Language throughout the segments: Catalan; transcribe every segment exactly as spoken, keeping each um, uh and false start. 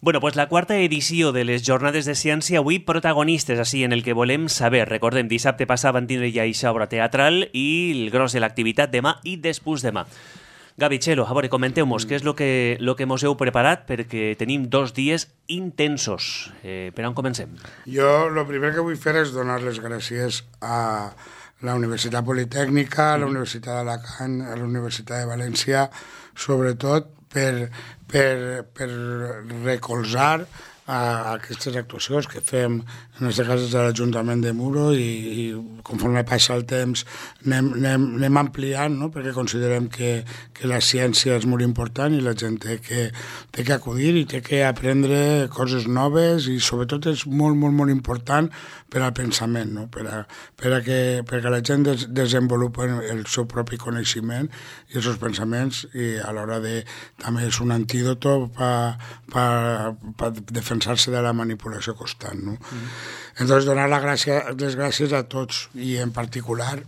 Bueno, pues la quarta edició de les Jornades de Ciència, avui protagonistes així en el que volem saber. Recordem, dissabte passat van tindre ja aquesta obra teatral i el gros de l'activitat demà i després demà. Gavi, Txelo, a veure, comenteu-nos què és el que, lo que mos heu preparat perquè tenim dos dies intensos. Eh, per on comencem? Jo el primer que vull fer és donar les gràcies a la Universitat Politècnica, a la Universitat d'Alacant, a la Universitat de València, sobretot per, per, per recolzar a aquestes actuacions que fem, en aquest cas, de l'Ajuntament de Muro, i, i conforme passa el temps anem, anem, anem ampliant, no? Perquè considerem que, que la ciència és molt important i la gent té que, té que acudir i té que aprendre coses noves, i sobretot és molt, molt, molt important per al pensament, no? per, a, per a que perquè la gent des, desenvolupi el seu propi coneixement i els seus pensaments, i a l'hora de també és un antídoto per pa, pa defensar-se de la manipulació constant, no? Mm. Entonces, donar la gràcia, les gràcies a tots, i en particular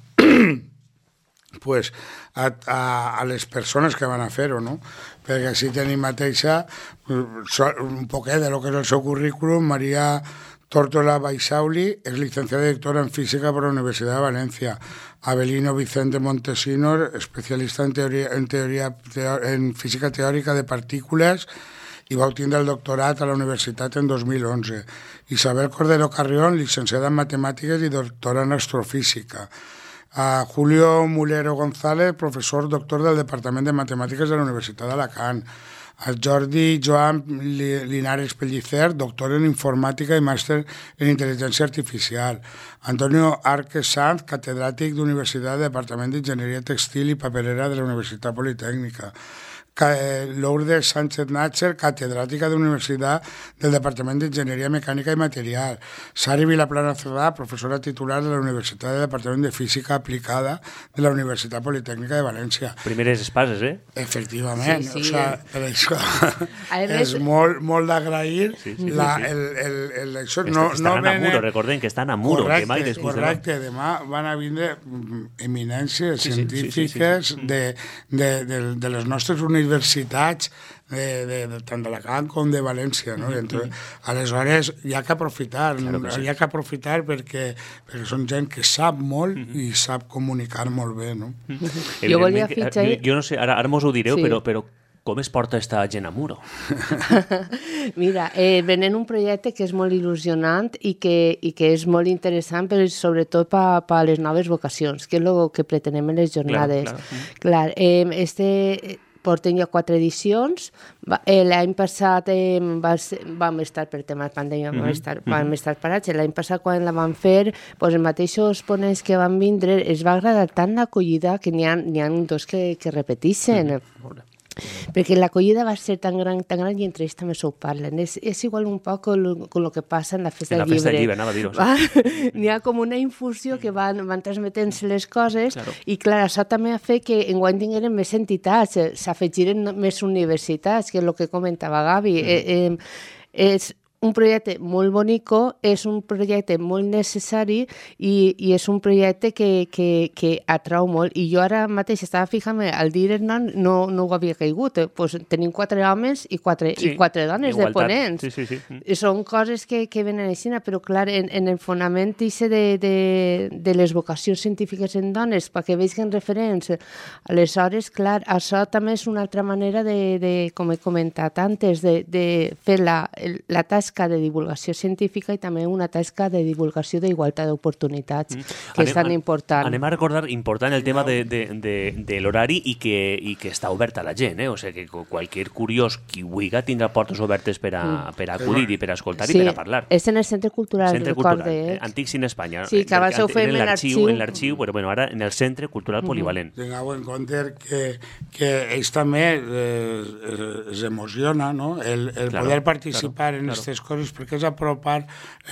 pues, a, a, a les persones que van a fer-ho, no? Perquè així tenim mateixa un poquet de lo que és el seu currículum. Maria Tórtola Baixauli és licenciada i doctora en Física per la Universitat de València. Avelino Vicente Montesinos, especialista en, teoria, en, teoria, en Física Teòrica de Partícules, i va obtindre el doctorat a la universitat en dos mil onze. Isabel Cordero Carrión, licenciada en Matemàtiques i doctora en Astrofísica. A Julio Mulero González, professor doctor del Departament de Matemàtiques de la Universitat d'Alacant. A Jordi Joan Linares Pellicer, doctor en Informàtica i màster en Intel·ligència Artificial. Antonio Arques Sanz, catedràtic d'Universitat del Departament d'Enginyeria Textil i Paperera de la Universitat Politècnica. Lourdes Sánchez Natcher, catedràtica de la Universitat del Departament d'Enginyeria Mecànica i Material. Sari Vilaplana Cerdà, professora titular de la Universitat del Departament de Física Aplicada de la Universitat Politècnica de València. Primeres espases, eh? Efectivament. Sí, sí. O sea, per això més... és molt, molt d'agrair. Sí, sí, la, sí, sí. El, el, el, això Est no, estan no a venen... Muro, recordem que estan a Muro. Correcte, que mai després correcte. De demà van a vindre eminències sí, sí, científiques sí, sí, sí. De, de, de, de les nostres universitats, de, de, de, tant d'Alacant com de València, no? I entonces, aleshores hi ha que aprofitar, claro que sí. hi ha que aprofitar perquè, perquè són gent que sap molt i sap comunicar molt bé, no? Jo volia fitxar... Jo, jo no sé, ara, ara mos ho direu, sí. però, però com es porta esta gent a Muro? Mira, eh, venen un projecte que és molt il·lusionant i que, i que és molt interessant, però sobretot per pa les noves vocacions, que és el que pretenem en les jornades. Clar, clar. Clar, eh, este... porten ja quatre edicions. Eh, l'any passat eh, va ser, vam estar per tema de pandèmia, vam, mm -hmm. estar, vam estar parats. L'any passat, quan la van fer, doncs, els mateixos ponents que van vindre, es va agradar tant l'acollida que n'hi ha, n'hi ha dos que, que repeteixen. Mm -hmm. Perquè l'acollida va ser tan gran, tan gran i entre ells també s'ho parlen. És, és igual un poc con lo, con lo que passa en la festa del llibre. En la festa del llibre, anava a dir-ho. N'hi ha com una infusió que van, van transmetent-se les coses, claro. I clar, això també ha fet que enguany tingueren més entitats, s'afegiren més universitats, que és el que comentava Gavi. Mm. Eh, eh, és un projecte molt bonico, és un projecte molt necessari i, i és un projecte que, que, que atrau molt. I jo ara mateix estava fixant-me, al dir nom no, no ho havia caigut. Eh? Pues tenim quatre homes i quatre, sí, i quatre dones igualtat. De ponents. Sí, sí, sí. I són coses que, que venen així, però clar, en, en el fonament de, de, de les vocacions científiques en dones, perquè vegin referents. Aleshores, clar, això també és una altra manera de, de com he comentat antes, de, de fer la, la tasca de divulgació científica i també una tasca de divulgació d'igualtat d'oportunitats, mm. que anem, és tan important. Anem a recordar, important el tema de, de, de, de l'horari i que, i que està obert a la gent, eh? O sigui, que qualsevol curiós qui vulgui tindrà portes obertes per a, mm. per a acudir i per a escoltar sí, i per a parlar. És en el Centre Cultural, Centre recorde. Cultural, eh? Antic Cine Espanya. Sí, que abans ho fèiem en l'arxiu. En l'arxiu, però bueno, ara en el Centre Cultural Polivalent. Mm. Tingueu en compte que, que ells també eh, es emociona, no? El, el claro, poder participar claro, en aquestes claro. coses, perquè és apropar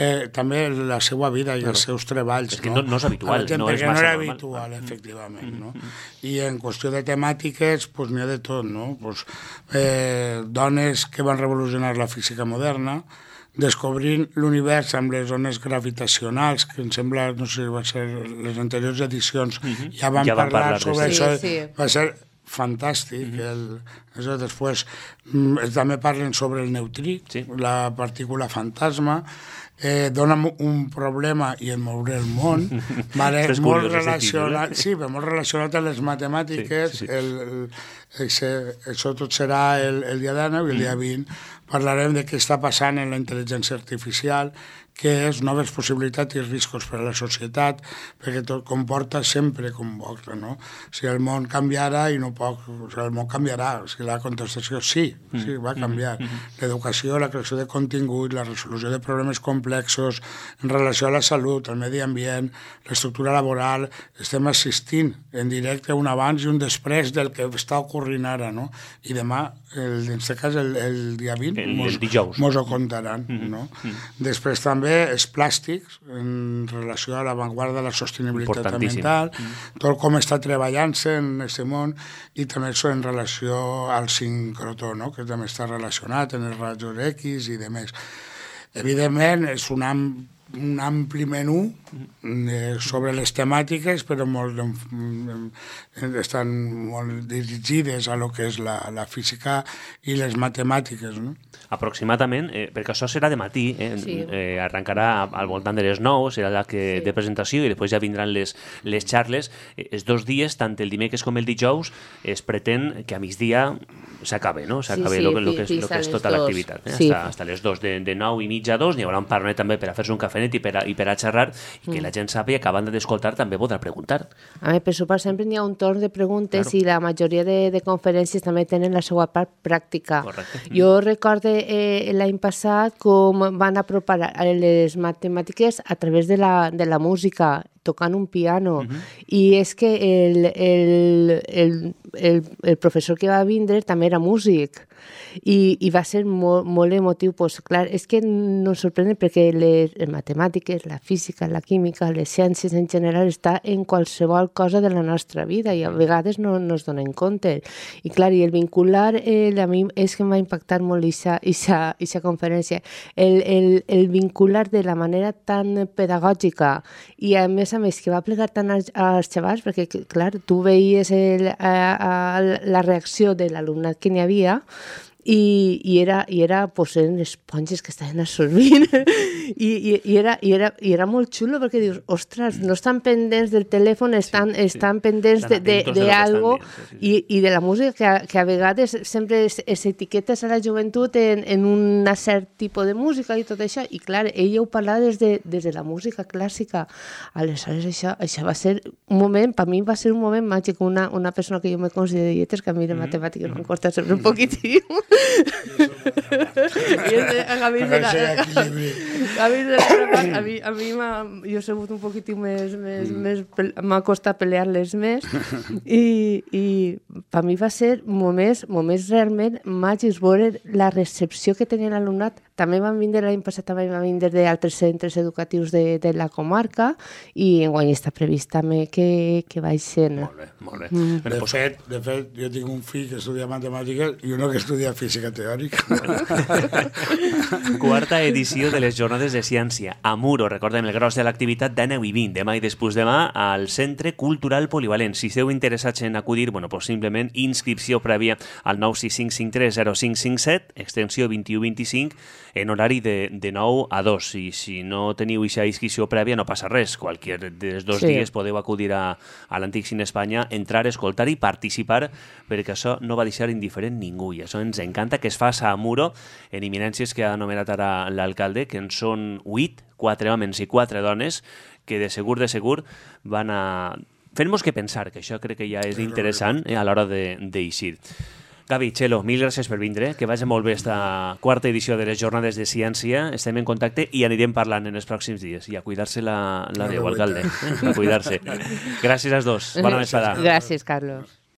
eh, també la seva vida i claro. els seus treballs. És que no, no és habitual, gent, no és perquè massa no era normal. habitual, efectivament. Mm -hmm. no? I en qüestió de temàtiques, pues, n'hi ha de tot, no? Pues, eh, dones que van revolucionar la física moderna, descobrint l'univers amb les ones gravitacionals, que em sembla, no sé, va ser les anteriors edicions, mm -hmm. ja van ja parlar parlar sobre sí, això. Sí. Va ser fantàstic. Mm-hmm. el, això, després mm, també parlen sobre el neutrí, sí. la partícula fantasma, eh, dona un problema i en moure el món, vale, molt curiós, relacionat, sí, molt relacionat a les matemàtiques, sí, sí, sí. El, el, ese, això tot serà el, el dia deu i el dia vint parlarem de què està passant en la intel·ligència artificial, què és noves possibilitats i riscos per a la societat, perquè tot comporta sempre convoca, no? Si el món canviarà i no poc, o sigui, el món canviarà, o sigui, la contestació sí, sí, va canviar. L'educació, la creació de contingut, la resolució de problemes complexos en relació a la salut, al medi ambient, l'estructura laboral, estem assistint en directe un abans i un després del que està ocorrint ara, no? I demà, el, en aquest cas, el, el dia vint, el, mos, el mos ho contaran, mm-hmm. no? Mm-hmm. Després també els plàstics en relació a l'avantguarda de la sostenibilitat ambiental, mm. tot com està treballant-se en aquest món i també això en relació al sincrotró, no? Que també està relacionat en els rajos X i demés. Evidentment, és un, am, un ampli menú eh, sobre les temàtiques, però molt, eh, estan molt dirigides a lo que és la, la física i les matemàtiques, no? Aproximadament, eh, perquè això serà de matí, eh, sí. eh, arrencarà al voltant de les nou, serà la que sí. de presentació i després ja vindran les, les xarles. Eh, els dos dies, tant el dimecres com el dijous, es pretén que a migdia s'acabe, no? S'acabe sí, sí, el que, que, que és tota l'activitat. Eh? Sí. Hasta, hasta les dos, de, de nou i mitja a dos, n'hi haurà un parnet també per a fer-se un cafenet i per a, i per a xerrar, i que mm. la gent sàpiga que a banda d'escoltar també podrà preguntar. A mi, per sopar, sempre n'hi ha un torn de preguntes claro. I la majoria de, de conferències també tenen la seva part pràctica. Correcte. Jo recordo eh, l'any passat com van apropar les matemàtiques a través de la, de la música, tocant un piano. Uh-huh. I és que el, el, el, el, el professor que va vindre també era músic. I, i va ser molt, molt emotiu. Pues, clar, és que no ens sorprèn perquè les, les matemàtiques, la física, la química, les ciències en general està en qualsevol cosa de la nostra vida i a vegades no, no es donen compte. I clar, i el vincular, eh, a mi és que em va impactar molt aquesta conferència. El, el, el vincular de la manera tan pedagògica i a més a més que va plegar tant als, als xavals, perquè clar, tu veies el, a, a, la reacció de l'alumnat que n'hi havia i, i era, i era pues, eren esponges que estaven absorbint I, i, i, era, i, era, i era molt xulo perquè dius, ostres, no estan pendents del telèfon, estan, sí, sí. estan pendents de, de, de, de algo sí, sí, sí. I, i de la música que a, que a vegades sempre es, es etiquetes a la joventut en, en un cert tipus de música i tot això, i clar, ella ho parlava des de, des de la música clàssica. Aleshores això, això va ser un moment, per mi va ser un moment màgic, una, una persona que jo me considero de lletres, que a mi de matemàtiques mm-hmm. m'han costat sempre un poquitiu. I és a Gavi de la Gavi de la a mi, a mi m'ha, jo he sigut un poquitiu més, més, mm. més m'ha costat pelear-les més i, i per mi va ser moments, moments realment màgics, veure la recepció que tenia l'alumnat. També van vindre l'any passat, també van vindre d'altres centres educatius de, de la comarca i enguany està previst també que, que vaig ser. Molt bé, molt bé. Mm. De, fet, de fet, jo tinc un fill que estudia matemàtiques i uno que estudia física teòrica. Quarta edició de les Jornades de Ciència. A Muro, recordem el gros de l'activitat de deu i vint, demà i després demà, al Centre Cultural Polivalent. Si esteu interessats en acudir, bueno, pues simplement inscripció prèvia al nou sis cinc cinc tres zero cinc cinc set, extensió vint-i-u vint-i-cinc, en horari de, de nou a dos. I si no teniu aquesta inscripció prèvia, no passa res. Qualquier dels dos sí. dies podeu acudir a, a l'Antic Cine Espanya, entrar, escoltar i participar, perquè això no va deixar indiferent ningú. I això ens encanta que es faça a Muro, en eminències que ha anomenat ara l'alcalde, que en són huit, quatre homes i quatre dones, que de segur, de segur, van a fer-nos que pensar, que això crec que ja és interessant eh, a l'hora d'eixir. Gavi, Txelo, mil gràcies per vindre, que vagi molt bé esta quarta edició de les Jornades de Ciència. Estem en contacte i anirem parlant en els pròxims dies. I a cuidar-se la, la veu, alcalde. A cuidar-se. Gràcies als dos. Bona vesprada. Gràcies, Carlos.